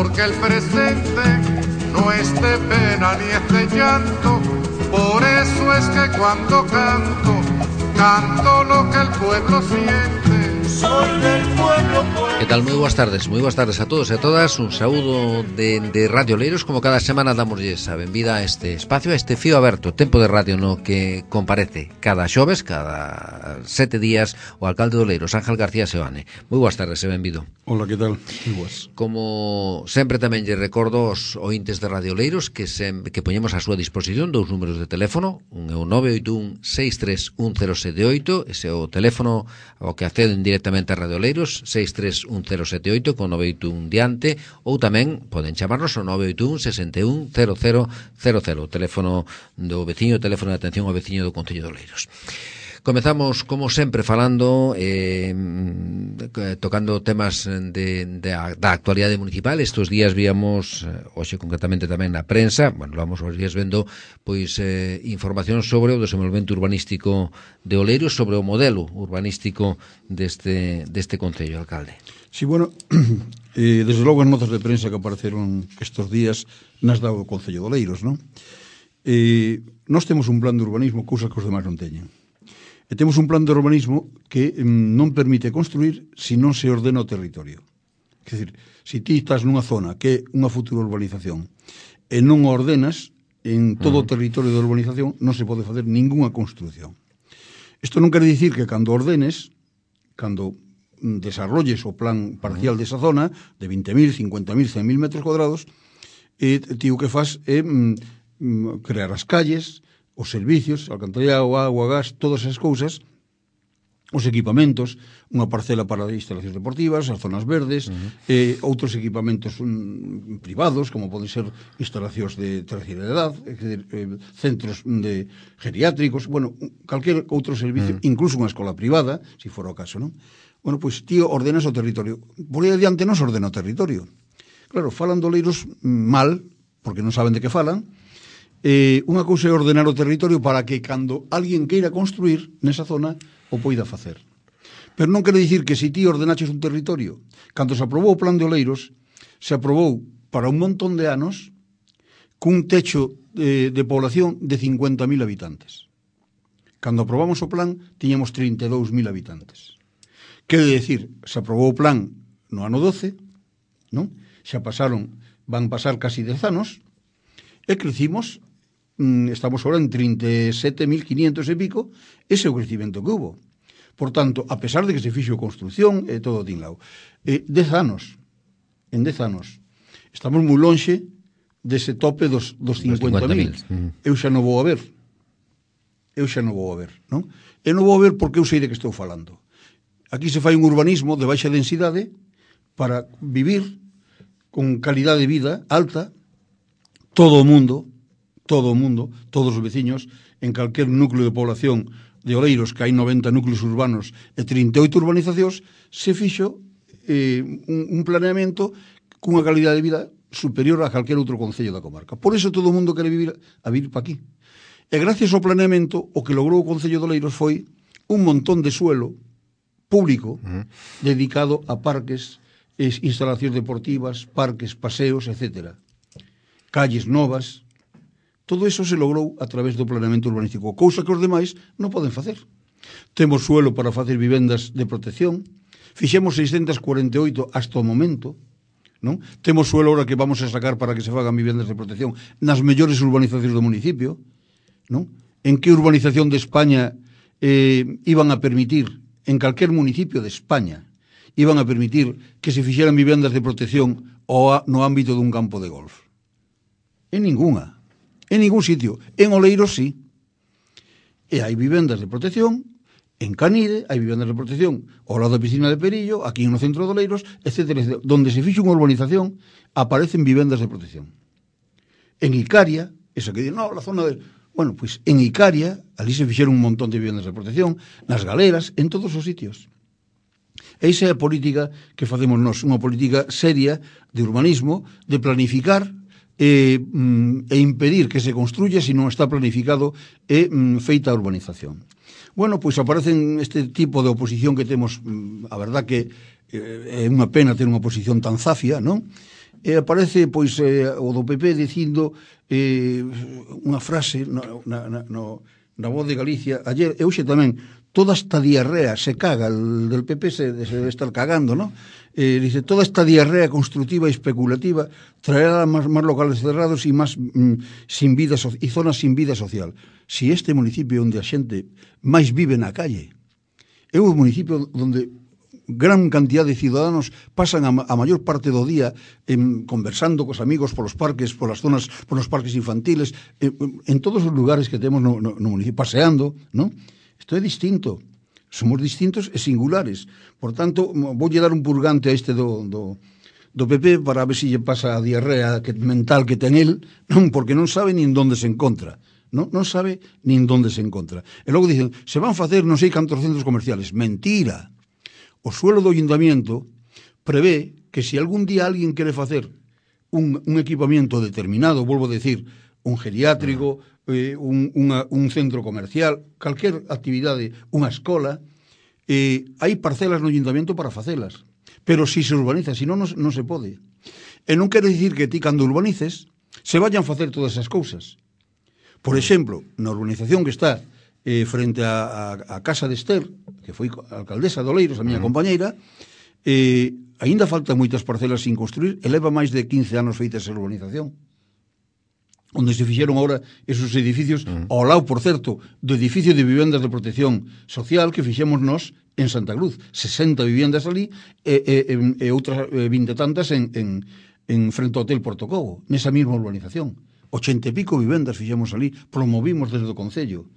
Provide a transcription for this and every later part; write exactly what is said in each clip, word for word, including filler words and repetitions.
porque el presente no es de pena ni es de llanto. Por eso es que cuando canto, canto lo que el pueblo siente. Soy del pueblo, pueblo. Que tal? Moi boas tardes, moi boas tardes a todos e a todas. Un saúdo de, de Radio Oleiros. Como cada semana damosles a benvida a este espacio, a este fío aberto, tempo de radio no que comparece cada xoves, cada sete días, o alcalde de Oleiros, Ángel García Seoane. Moi boas tardes e benvido. Hola, que tal? Moi boas. Como sempre tamén lle recordo aos ointes de Radio Oleiros que, sem, que poñemos a súa disposición dous números de teléfono, un é o nove oito un seis tres un cero sete oito, ese é o teléfono ao que acceden directamente a Radio Oleiros, seis tres un cero sete oito con nove oito un diante, ou tamén poden chamarnos ao nove oito un sesenta e un cero cero cero cero, o teléfono do veciño, o teléfono de atención ao veciño do Concello de Oleiros. Comezamos, como sempre, falando, eh, tocando temas de, de, da actualidade municipal. Estos días víamos, hoxe concretamente tamén na prensa, bueno, vamos os días vendo, pois, eh, información sobre o desenvolvemento urbanístico de Oleiros, sobre o modelo urbanístico deste, deste Concello, alcalde. Sí, bueno, eh, desde logo as notas de prensa que apareceron estes días nas dado o Concello de Oleiros, non? Eh, nós temos un plan de urbanismo, cousas que os demais non teñen. E temos un plan de urbanismo que mm, non permite construir se non se ordena o territorio. Quer dizer, se ti estás nunha zona que é unha futura urbanización e non o ordenas, en todo uh-huh. o territorio de urbanización non se pode facer ningunha construcción. Isto non quere dicir que cando ordenes, cando desarrolles o plan parcial uh-huh. desa zona, de vinte mil, cincuenta mil, cen mil metros cuadrados, e ti o que faz é mm, crear as calles, os servicios, alcantarillado, agua, gas, todas esas cousas, os equipamentos, unha parcela para instalacións deportivas, as zonas verdes, uh-huh. eh, outros equipamentos um, privados, como poden ser instalacións de terceira edad, é dizer, eh, centros de geriátricos, bueno, calquer outro servicio, uh-huh. incluso unha escola privada, se si fora o caso, non? Bueno, pois, tío, ordenas o territorio. Por aí adiante non se ordena o territorio. Claro, falan de Oleiros mal, porque non saben de que falan. Eh, unha cousa é ordenar o territorio para que cando alguén queira construir nesa zona o poida facer. Pero non quere dicir que se ti ordenaches un territorio, cando se aprobou o plan de Oleiros, se aprobou para un montón de anos cun techo de, de población de cincuenta mil habitantes. Cando aprobamos o plan, tiñamos trinta e dous mil habitantes. Quere dicir, se aprobou o plan no ano doce, non? Xa pasaron, van pasar casi dez anos, e crecimos. Estamos ahora en trinta e sete mil quinientos e pico, ese é o crecimento que hubo. Por tanto, a pesar de que se fixo construcción e todo tinlao, eh, dez anos, en dez anos, estamos moi lonxe dese tope dos, dos cincuenta mil. Eu xa non vou a ver. Eu xa non vou a ver, non? Eu non vou a ver porque eu sei de que estou falando. Aquí se fai un urbanismo de baixa densidade para vivir con calidade de vida alta, todo o mundo, todo o mundo, todos os veciños, en calquer núcleo de población de Oleiros, que hai noventa núcleos urbanos e trinta e oito urbanizacións, se fixo eh, un, un planeamento cunha calidade de vida superior a calquer outro concello da comarca. Por iso todo o mundo quere vivir a vivir pa aquí. E gracias ao planeamento, o que logrou o Concello de Oleiros foi un montón de suelo público uh-huh. dedicado a parques, instalacións deportivas, parques, paseos, etcétera. Calles novas. Todo iso se logrou a través do planeamento urbanístico, cousa que os demais non poden facer. Temos suelo para facer vivendas de protección, fixemos seiscentas cuarenta e oito hasta o momento, non? Temos suelo ahora que vamos a sacar para que se fagan vivendas de protección nas mellores urbanizacións do municipio, non? En que urbanización de España eh, iban a permitir, en calquer municipio de España, iban a permitir que se fixeran vivendas de protección ou a, no ámbito dun campo de golf? En ningunha. En ningún sitio. En Oleiros, sí. E hai vivendas de protección, en Canide, hai vivendas de protección ao lado da piscina de Perillo, aquí no centro de Oleiros, etcétera, etcétera. Donde se fixo unha urbanización, aparecen vivendas de protección. En Icaria, esa que di, no, la zona de... Bueno, pois pues en Icaria, ali se fixeron un montón de vivendas de protección, nas galeras, en todos os sitios. E esa é a política que facemos nós, unha política seria de urbanismo, de planificar e, e impedir que se construya se non está planificado e feita a urbanización. Bueno, pois aparecen este tipo de oposición que temos, a verdad que é unha pena ter unha oposición tan zafia, non? e aparece pois eh, o do P P dicindo eh, unha frase no, na, na, no, na Voz de Galicia ayer, e hoxe tamén, toda esta diarrea se caga, el del P P se, se debe estar cagando, ¿no? Eh, dice, toda esta diarrea constructiva y especulativa traerá más, más locales cerrados y más mm, sin vida so y zonas sin vida social. Si este municipio onde a xente máis vive na calle é un municipio onde gran cantidad de ciudadanos pasan a, a maior parte do día en, conversando cos amigos polos parques, polas zonas, polos parques infantiles, en, en todos os lugares que temos no, no, no municipio, paseando, ¿no? Isto é distinto. Somos distintos e singulares. Por tanto, voulle dar un purgante a este do, do, do P P para ver se lle pasa a diarrea que, mental que ten el, non, porque non sabe nin donde se encontra. Non, non sabe nin donde se encontra. E logo dicen, se van facer non sei cantos centros comerciales. Mentira. O suelo do ayuntamiento prevé que se algún día alguén quere facer un, un equipamiento determinado, volvo a decir, un geriátrico, eh, un, una, un centro comercial, calquer actividade, unha escola, eh, hai parcelas no ayuntamiento para facelas. Pero si se urbaniza, si non, non se pode. E non quere dicir que ti, cando urbanices, se vayan facer todas esas cousas. Por exemplo, na urbanización que está eh, frente a, a, a casa de Esther, que foi alcaldesa de Oleiros, a miña compañeira, eh, aínda faltan moitas parcelas sin construir, e leva máis de quince anos feitas a urbanización, onde se fixeron agora esos edificios, uh -huh. ao lado, por certo, do edificio de vivendas de protección social que fixemos nós en Santa Cruz, sesenta vivendas ali e, e, e outras vinte tantas en, en, en frente ao Hotel Portocobo, nesa mesma urbanización. Ochenta e pico vivendas fixemos ali, promovimos desde o Concello.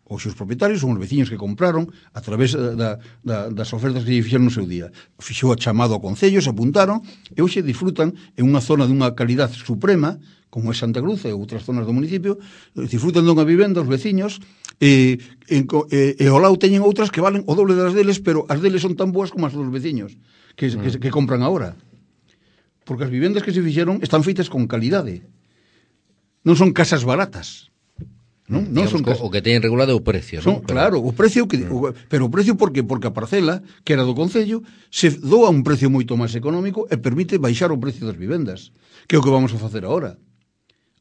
Os seus propietarios son os veciños que compraron a través da, da, das ofertas que lle fixeron no seu día. Fixou a chamado ao Concello, se apuntaron e hoxe disfrutan en unha zona de unha calidad suprema, como é Santa Cruz e outras zonas do municipio, disfrutan dunha vivenda os veciños e, e, e, e ao lado teñen outras que valen o doble das deles, pero as deles son tan boas como as dos veciños que, mm. que, que compran agora. Porque as vivendas que se fixeron están feitas con calidade. Non son casas baratas. Non, non son o que teñen regulado é o precio, son, non? Claro, o precio que, o, pero o precio porque porque a parcela que era do Concello se doa un precio moito máis económico e permite baixar o precio das vivendas, que é o que vamos a facer agora.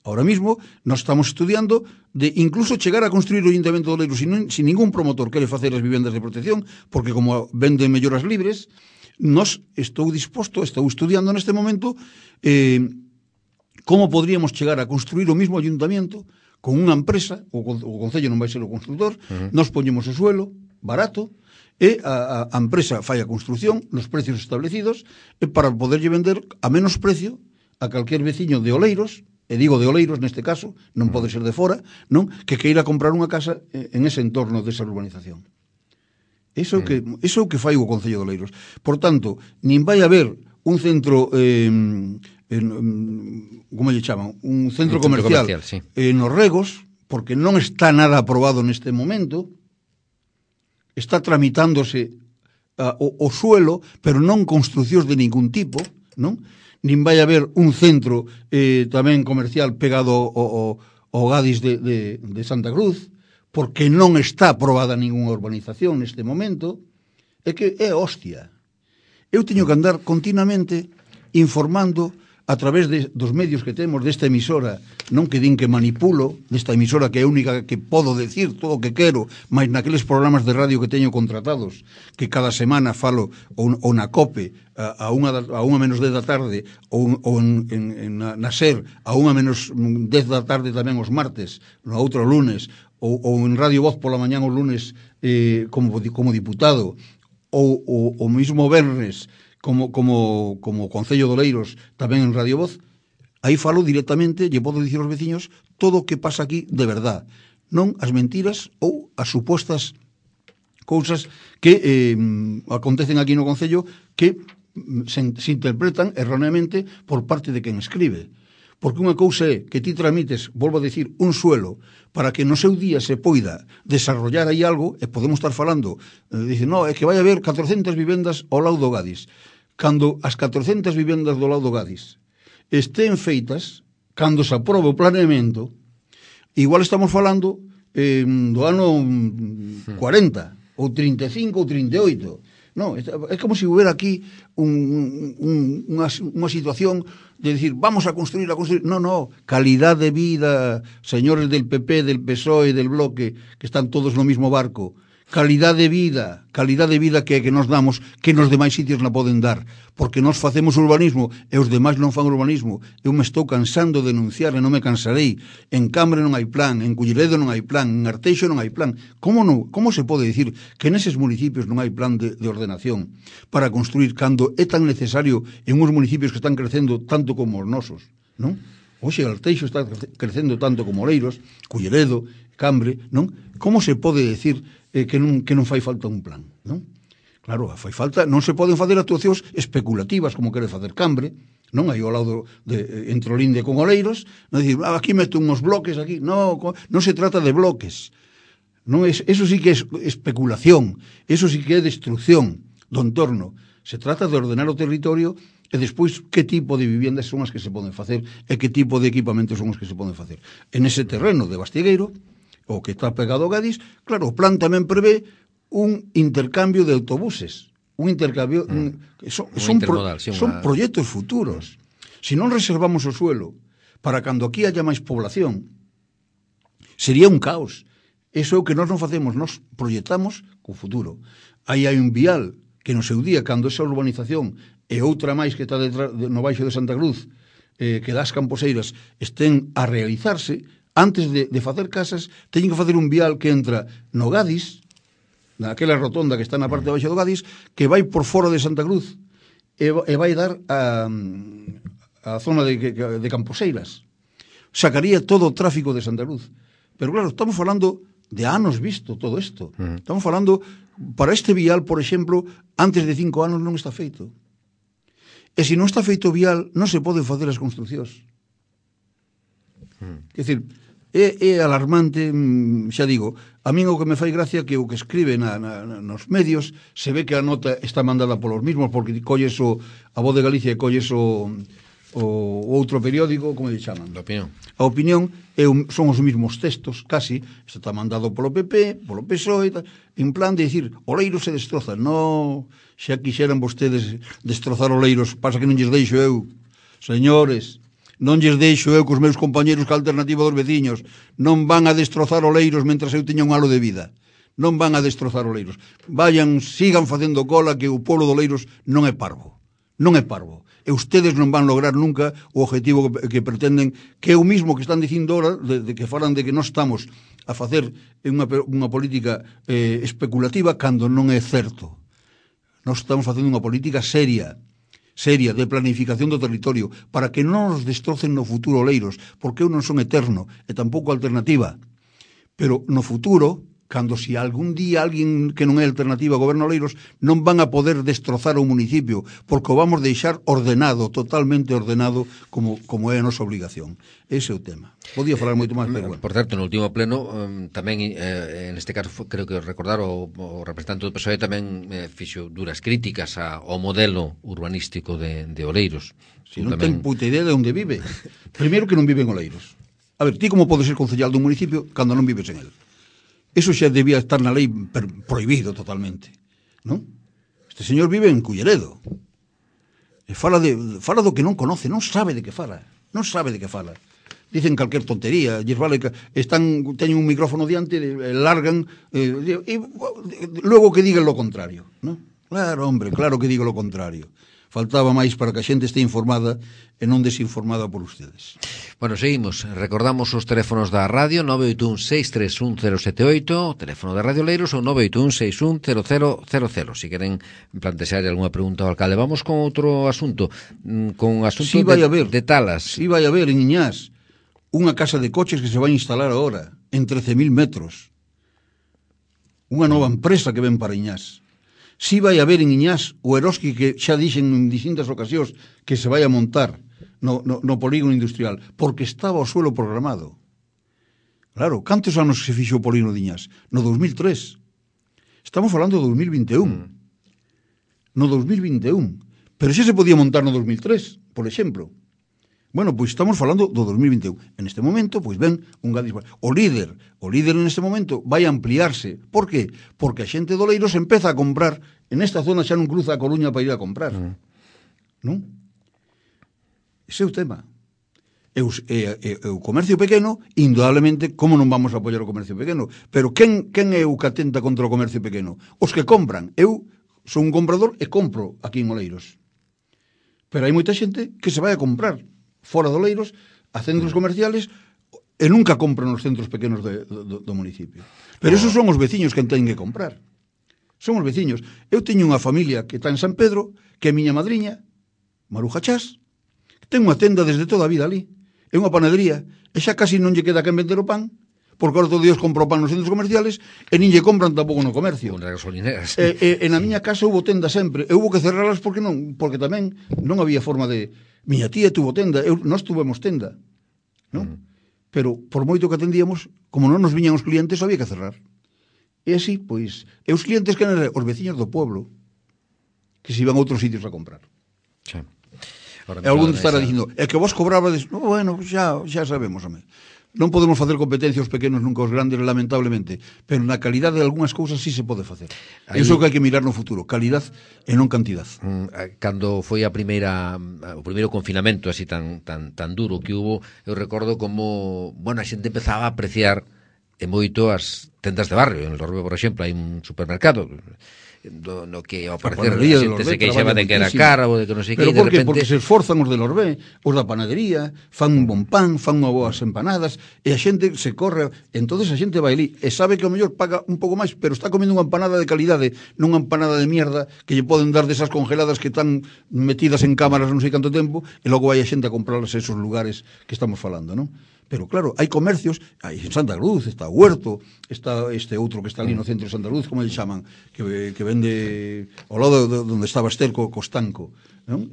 Ahora mismo nós estamos estudiando de incluso chegar a construir o Ayuntamiento de Oleiros sin, sin ningún promotor quere facer as vivendas de protección, porque como venden melloras libres, nós estou disposto, estou estudiando neste momento eh, como podríamos chegar a construir o mismo Ayuntamiento con unha empresa, o, o Concello non vai ser o constructor, uh-huh. nós poñemos o suelo barato e a, a, a empresa fai a construcción nos precios establecidos e para poderlle vender a menos precio a calquer veciño de Oleiros, e digo de Oleiros neste caso, non pode ser de fora, non, que queira comprar unha casa en ese entorno desa urbanización. Iso é o que, iso é o que fai o Concello de Oleiros. Por tanto, nin vai haber un centro eh, en, como lle chaman, un centro, un centro comercial, comercial sí. eh, nos Regos, porque non está nada aprobado neste momento, está tramitándose uh, o, o suelo, pero non construcións de ningún tipo, non? Nin vai haber un centro eh, tamén comercial pegado ao, ao Gadis de, de, de Santa Cruz, porque non está aprobada ninguna urbanización neste momento, é que é hostia. Eu teño que andar continuamente informando a través de, dos medios que temos desta emisora, non que din que manipulo, desta emisora que é a única que podo decir todo o que quero, mas naqueles programas de radio que teño contratados, que cada semana falo ou, ou na COPE a, a, unha, a unha menos dez da tarde ou, ou en, en, en, na SER a unha menos dez da tarde tamén os martes, no outro lunes, ou, ou en Radio Voz pola mañán os lunes eh, como, como diputado, ou o mismo vernes como, como, como Concello de Oleiros tamén en Radio Voz, aí falo directamente, lle podo dicir aos veciños todo o que pasa aquí de verdad, non as mentiras ou as supostas cousas que eh, acontecen aquí no Concello que se, se interpretan erróneamente por parte de quen escribe. Porque unha cousa é que ti tramites, volvo a decir, un suelo para que no seu día se poida desarrollar aí algo, e podemos estar falando, eh, dicen, no, é que vai haber catrocentas vivendas ao lado do Gadis. Cando as catrocentas vivendas do lado do Gadis estén feitas, cando se aprobe o planeamento, igual estamos falando eh, do ano cuarenta, ou trinta e cinco, ou trinta e oito, No, é como se hubiera aquí un, un, unha, unha situación de decir, vamos a construir, a construir. No, no, calidad de vida, señores del P P, del P S O E, del Bloque, que están todos no mismo barco. Calidad de vida, calidad de vida que, que nos damos, que nos demais sitios la poden dar, porque nos facemos urbanismo e os demais non fan urbanismo. Eu me estou cansando de denunciar e non me cansarei. En Cambre non hai plan, en Culleredo non hai plan, en Arteixo non hai plan. Como non? Como se pode dicir que neses municipios non hai plan de, de ordenación para construir cando é tan necesario en uns municipios que están crecendo tanto como os nosos, non? Oxe, Arteixo está crecendo tanto como Oleiros, Culleredo, Cambre, non? Como se pode decir eh, que, non, que non fai falta un plan, non? Claro, fai falta, non se poden facer actuacións especulativas como quere facer Cambre, non? Aí ao lado de, entre Olinde con Oleiros, non dicir, ah, aquí meto uns bloques aquí, non, non se trata de bloques, non es, eso sí que é especulación, eso sí que é destrucción do entorno, se trata de ordenar o territorio e despois que tipo de viviendas son as que se poden facer e que tipo de equipamentos son os que se poden facer. En ese terreno de Bastiegueiro, o que está pegado ao Gadis, claro, o plan tamén prevé un intercambio de autobuses, un intercambio, mm. un, son, son, pro, sí, una... son proxectos futuros. Se non reservamos o suelo para cando aquí haya máis población, sería un caos. Eso é o que nós non facemos, nós proyectamos co futuro. Aí hai un vial que no seu día, cando esa urbanización e outra máis que está detrás, no baixo de Santa Cruz, eh, que das Camposeiras, estén a realizarse, antes de, de facer casas, teñen que facer un vial que entra no Gadis, naquela rotonda que está na parte de baixo do Gadis, que vai por fora de Santa Cruz e, e vai dar a, a zona de, de Camposeiras. Sacaría todo o tráfico de Santa Cruz. Pero claro, estamos falando de anos visto todo isto. Uh-huh. Estamos falando, para este vial, por exemplo, antes de cinco anos non está feito. E se non está feito o vial, non se poden facer as construcións. Uh-huh. Quer dizer, é, é alarmante, xa digo, a min o que me fai gracia que o que escribe na, na, nos medios se ve que a nota está mandada polos mismos, porque colles o, a Voz de Galicia e colles o, o outro periódico, como lle chaman? A Opinión. A Opinión é un, son os mismos textos, casi, isto está mandado polo P P, polo P S O E, en plan de dicir, Oleiros se destroza. No, xa quixeran vostedes destrozar Oleiros, pasa que non lles deixo eu. Señores, non lles deixo eu cos meus compañeros que a alternativa dos veciños. Non van a destrozar Oleiros mentras eu teña un halo de vida. Non van a destrozar Oleiros. Vayan, sigan facendo cola, que o pueblo de Oleiros non é parvo. Non é parvo. E ustedes non van lograr nunca o objetivo que, que pretenden, que é o mismo que están dicindo ahora, de, de que falan de que non estamos a facer unha, unha política eh, especulativa cando non é certo. Nós estamos facendo unha política seria, seria, de planificación do territorio, para que non nos destrocen no futuro Oleiros, porque eu non son eterno, e tampouco alternativa. Pero no futuro, cando se algún día alguén que non é alternativa goberna Oleiros, non van a poder destrozar o municipio, porque o vamos deixar ordenado, totalmente ordenado, como, como é a nosa obligación. Ese é o tema. Podía falar moito máis, pero bueno. Por certo, no último pleno, um, tamén, eh, en este caso, creo que recordar, o, o representante do P S O E tamén eh, fixo duras críticas a, ao modelo urbanístico de, de Oleiros. Si non tamén... ten puta idea de onde vive. Primeiro que non vive en Oleiros. A ver, ti como podes ser concejal dun municipio cando non vives en él? Eso xa debía estar na lei prohibido totalmente, non? Este señor vive en Culleredo. E fala, de, fala do que non conoce, non sabe de que fala. Non sabe de que fala. Dicen calquer tontería, lles vale que están, teñen un micrófono diante, largan, eh, e logo que digan lo contrario, non? Claro, hombre, claro que digo lo contrario. Faltaba máis para que a xente este informada e non desinformada por ustedes. Bueno, seguimos. Recordamos os teléfonos da radio nove oito un seis tres un cero sete oito, teléfono de Radio Oleiros, ou nove oito un seis un cero cero cero cero. Si queren plantexar algunha pregunta ao alcalde. Vamos con outro asunto, con asunto sí, vai de, haber, de talas. Si sí, vai haber en Iñás unha casa de coches que se vai instalar agora en trece mil metros. Unha nova empresa que ven para Iñás. Si vai haber en Iñás o Eroski que xa dixen en distintas ocasións que se vai a montar no, no, no polígono industrial, porque estaba o suelo programado. Claro, cantos anos se fixo o polígono de Iñás? No dos mil tres. Estamos falando do dos mil vinte e un. No dos mil vinte e un. Pero xa se podía montar no dos mil tres, por exemplo. Bueno, pois estamos falando do dos mil vinte e un. En este momento, pois ven un Gadis. O líder, o líder en este momento vai a ampliarse. Por qué? Porque a xente do Oleiros empeza a comprar En esta zona xa non cruza a Coruña para ir a comprar. Mm. Non? Ese é o tema. E o, e, e, o comercio pequeno, indudablemente, como non vamos a apoiar o comercio pequeno? Pero quen, quen é o que atenta contra o comercio pequeno? Os que compran. Eu son un comprador e compro aquí en Oleiros. Pero hai moita xente que se vai a comprar fora de Oleiros, a centros comerciales, e nunca compran nos centros pequenos de, do, do municipio. Pero esos son os veciños que teñen que comprar. Son os veciños. Eu teño unha familia que está en San Pedro, que é miña madriña, Maruja Chás, que ten unha tenda desde toda a vida ali. É unha panadería, e xa casi non lle queda quen vender o pan, porque ahora todos os días compro pan nos centros comerciales, e nin lle compran tampouco no comercio. Nas gasolineras. E, e, e na miña casa houve tenda sempre, e houve que cerrarlas porque non, porque tamén non había forma de... Miña tía tuvo tenda, eu, nós tuvemos tenda, non? Mm. Pero por moito que atendíamos, como non nos viñan os clientes, había que cerrar. E así, pois, e os clientes que eran os veciños do pueblo, que se iban a outros sitios a comprar. Sí. E algún estará esa... dicindo, é que vos cobrabades, no, bueno, xa, xa sabemos, home. Non podemos facer competencia aos pequenos nunca aos grandes, lamentablemente, pero na calidade de algunhas cousas sí se pode facer. Aí... Iso que hai que mirar no futuro, calidad e non cantidad. Cando foi a primeira o primeiro confinamento así tan tan tan duro que hubo, eu recordo como, bueno, a xente empezaba a apreciar e moito as tendas de barrio. En el Lorbe, por exemplo, hai un supermercado do, no que ao parecer a xente se queixaba de que era cara ou de que non sei que, pero de por que? repente... Porque se esforzan os de Lorbe, os da panadería, fan un bon pan, fan unha boas empanadas, e a xente se corre, entonces a xente vai ali, e sabe que o mellor paga un pouco máis, pero está comendo unha empanada de calidade, non unha empanada de mierda que lle poden dar desas congeladas que están metidas en cámaras non sei canto tempo, e logo vai a xente a comprarlas a esos lugares que estamos falando, non? Pero claro, hai comercios, hai en Santa Cruz, está Huerto, está este outro que está ali no centro de Santa Cruz, como lle chaman, que, que vende ao lado de onde estaba Estel co Costanco, non?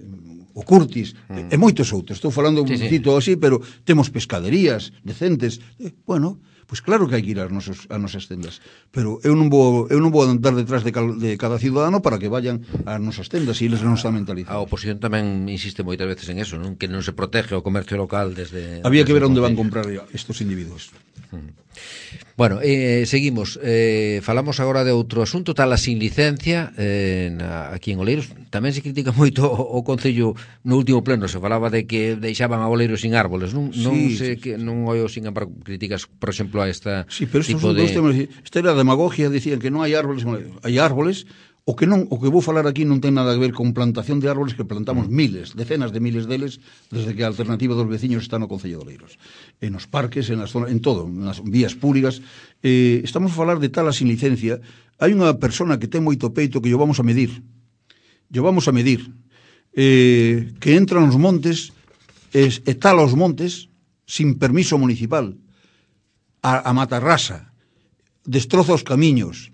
O Curtis, mm. e moitos outros. Estou falando sí, un cito sí. así, pero temos pescaderías decentes. Eh, bueno, pois pues claro que hai que ir ás nosas, ás nosas tendas, pero eu non vou eu non vou andar detrás de, cal, de cada ciudadano para que vayan ás nosas tendas e eles non están mentalizados. A oposición tamén insiste moitas veces en eso, non? Que non se protege o comercio local desde... Había desde que ver onde van comprar estos individuos. Mm. Bueno, eh, seguimos. Eh, falamos agora de outro asunto, tal a sin licencia eh, na, aquí en Oleiros. Tamén se critica moito o, o Concello no último pleno, se falaba de que deixaban a Oleiros sin árboles. Non, sí, non sei sí, que non oio sin embargo críticas, por exemplo, a esta sí, pero tipo de... Temas, esta era demagogia, decían que non hai árboles, hai árboles. O que non, o que vou falar aquí non ten nada a ver con plantación de árboles, que plantamos mm. miles, decenas de miles deles desde que a alternativa dos veciños está no Concello de Oleiros. En os parques, en, las zonas, en todo, nas vías públicas. Eh, estamos a falar de tala sin licencia. Hai unha persona que ten moito peito que yo vamos a medir. Yo vamos a medir. Eh, que entra nos montes e, e tala os montes sin permiso municipal. A, a matarrasa. Destroza os camiños.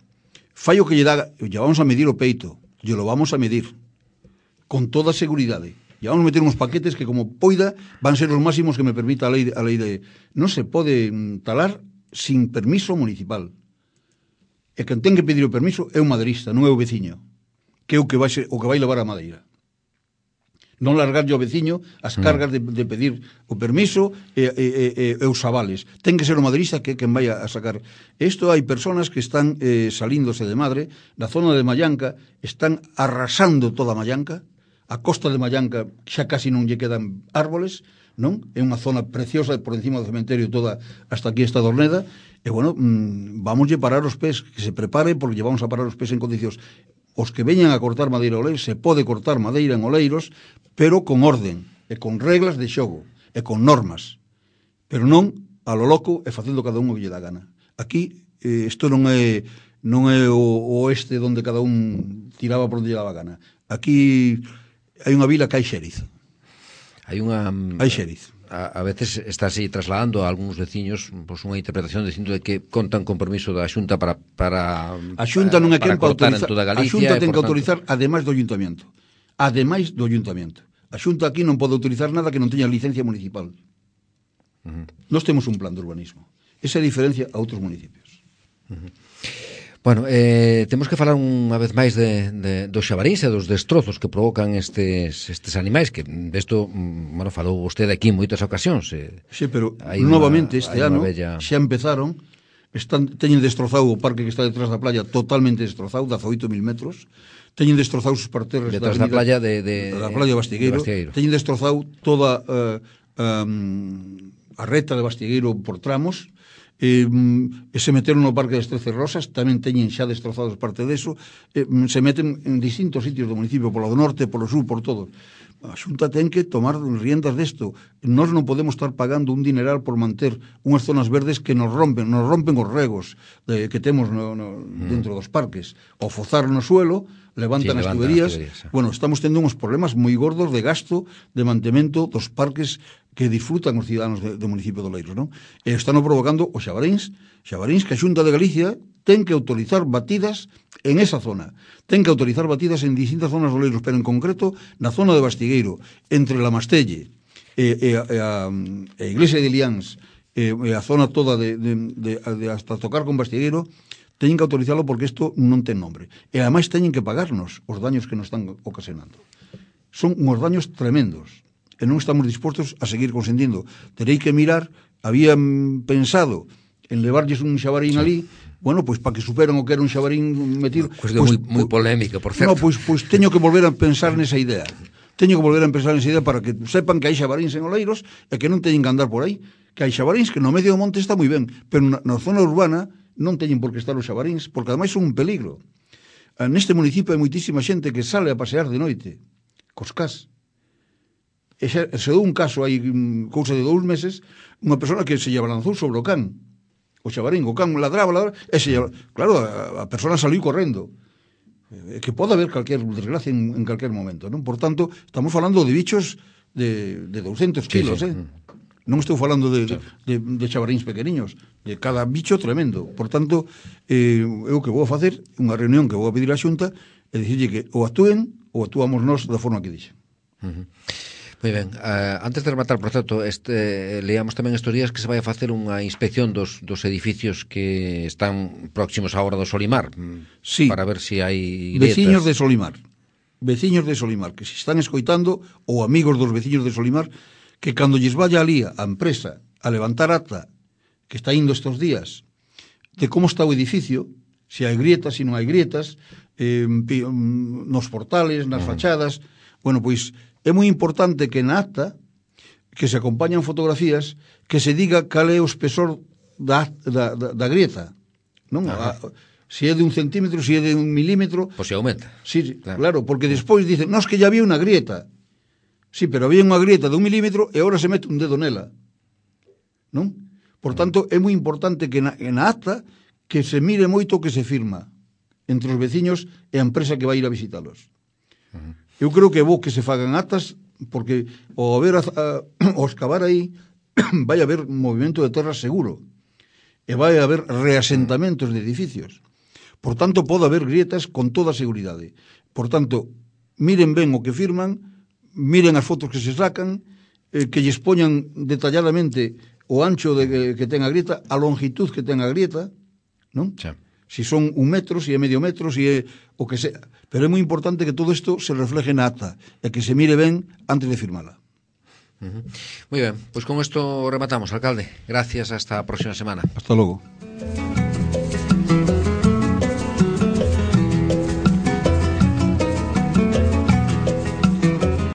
Fai o que lle dá, lle vamos a medir o peito, lle lo vamos a medir, con toda seguridade. Lle vamos a meter uns paquetes que, como poida, van ser os máximos que me permita a lei, a lei de... Non se pode talar sin permiso municipal. E quen ten que pedir o permiso é un maderista, non é o veciño, que é o que vai, ser, o que vai levar a madeira. Non largarlle ao veciño as cargas de, de pedir o permiso e, e, e, e os avales. Ten que ser o maderista que quen vai a sacar. Isto hai personas que están eh, salíndose de Madre, na zona de Mallanca, están arrasando toda Mallanca, a costa de Mallanca xa casi non lle quedan árboles, non? É unha zona preciosa por encima do cementerio toda hasta aquí esta Dorneda, e bueno, mmm, vamoslle parar os pés, que se prepare porque lle vamos a parar os pés en condicións. Os que veñan a cortar madeira Oleiros, se pode cortar madeira en Oleiros, pero con orden, e con reglas de xogo, e con normas, pero non a lo loco e facendo cada un o que lle dá gana. Aquí, eh, isto non é non é o, o oeste onde cada un tiraba por onde lle daba gana. Aquí hai unha vila que hai xeriz. Hai unha... Hai xeriz. A, a veces está así trasladando a algúns veciños pois, unha interpretación dicindo de que contan con permiso da Xunta para para a Xunta non é quen para autorizar. A Xunta ten que autorizar tanto... ademais do Ayuntamento. Ademais do Ayuntamento. A Xunta aquí non pode autorizar nada que non teña licencia municipal. Uh-huh. Nós temos un plan de urbanismo. Esa é a diferencia a outros municipios. Uh-huh. Bueno, eh, temos que falar unha vez máis de, de, dos xabaríns e dos destrozos que provocan estes, estes animais, que desto, bueno, falou vostede aquí en moitas ocasións. Eh, sí, pero novamente este ano bella... xa empezaron están, teñen destrozado o parque que está detrás da playa, totalmente destrozado, dezaoito mil metros, teñen destrozado os parterres detrás da, da playa de, de, da playa de Bastigueiro, de Bastigueiro. Teñen destrozado toda uh, um, a reta de Bastigueiro por tramos, e, e se meteron no Parque das Trece Rosas, tamén teñen xa destrozados parte deso, e, se meten en distintos sitios do municipio, polo do norte, polo sur, por todo. A Xunta ten que tomar riendas desto. Nós non podemos estar pagando un dineral por manter unhas zonas verdes que nos rompen, nos rompen os regos de, que temos no, no, dentro dos parques. O fozar no suelo, levantan sí, as tuberías. tuberías. Bueno, estamos tendo uns problemas moi gordos de gasto de mantemento dos parques que disfrutan os ciudadanos do municipio de Oleiros, non? E están provocando os xabaríns, xabaríns que a Xunta de Galicia ten que autorizar batidas en esa zona. Ten que autorizar batidas en distintas zonas de Oleiros, pero en concreto na zona de Bastigueiro, entre la Mastelle e, e, e a, a Iglesia de Liáns e, e a zona toda de, de, de, de hasta tocar con Bastigueiro, teñen que autorizarlo porque isto non ten nombre. E ademais teñen que pagarnos os daños que nos están ocasionando. Son uns daños tremendos e non estamos dispostos a seguir consentindo. Terei que mirar, habían pensado en levarlles un xabarín sí. ali, bueno, pois para que superan o que era un xabarín metido. Cuestión pues, moi, moi polémica, por certo. No, pois, pois teño que volver a pensar nesa idea. Teño que volver a pensar nesa idea para que sepan que hai xabaríns en Oleiros e que non teñen que andar por aí. Que hai xabaríns que no medio do monte está moi ben, pero na, na zona urbana non teñen por que estar os xabaríns, porque ademais son un peligro. Neste municipio hai moitísima xente que sale a pasear de noite, cos cas. E xa, se dou un caso hai cousa de dous meses, unha persona que se lle balanzou sobre o can, o xabarín, o can ladraba, ladraba, e se lle, claro, a, a persona saliu correndo. É que pode haber calquer desgracia en, en calquer momento, non? Por tanto, estamos falando de bichos de, de douscentos kilos, sí, sí. eh? Non estou falando de, sí. de, de xabaríns pequeniños, de cada bicho tremendo. Por tanto, eh, eu que vou a facer unha reunión que vou a pedir á Xunta e dicirlle que ou actúen ou actuamos nós da forma que dixen. Uh-huh. Moi ben, uh, antes de rematar, por certo, este, leamos tamén estes días que se vai a facer unha inspección dos, dos edificios que están próximos á hora do Solimar, sí. para ver se si hai grietas. Veciños de Solimar, veciños de Solimar, que se están escoitando, ou amigos dos veciños de Solimar, que cando lles vaya ali a empresa a levantar ata que está indo estes días de como está o edificio, se hai grietas, se non hai grietas, eh, nos portales, nas fachadas, bueno, pois é moi importante que na acta que se acompañan fotografías que se diga cal é o espesor da, da, da, da grieta, non? A, se é de un centímetro, se é de un milímetro, pois se aumenta. Sí, claro, claro, porque despois dicen, non, es que ya había unha grieta. Sí, pero había unha grieta de un milímetro e agora se mete un dedo nela, non? Por tanto, é moi importante que na, na acta que se mire moito o que se firma entre os veciños e a empresa que vai ir a visitalos. Uh-huh. Eu creo que é bo que se fagan actas, porque ao haber a, a, ao excavar aí vai haber movimento de terra seguro e vai haber reasentamentos de edificios. Por tanto, pode haber grietas con toda a seguridade. Por tanto, miren ben o que firman, miren as fotos que se sacan, eh, que lles poñan detalladamente o ancho de que, que ten a grieta, a longitud que ten a grieta, non? Sí. Si son un metro, si é medio metro, si é o que sea. Pero é moi importante que todo isto se refleje na acta e que se mire ben antes de firmala. Uh-huh. Moi ben, pois con isto rematamos, alcalde. Gracias, hasta a próxima semana. Hasta logo.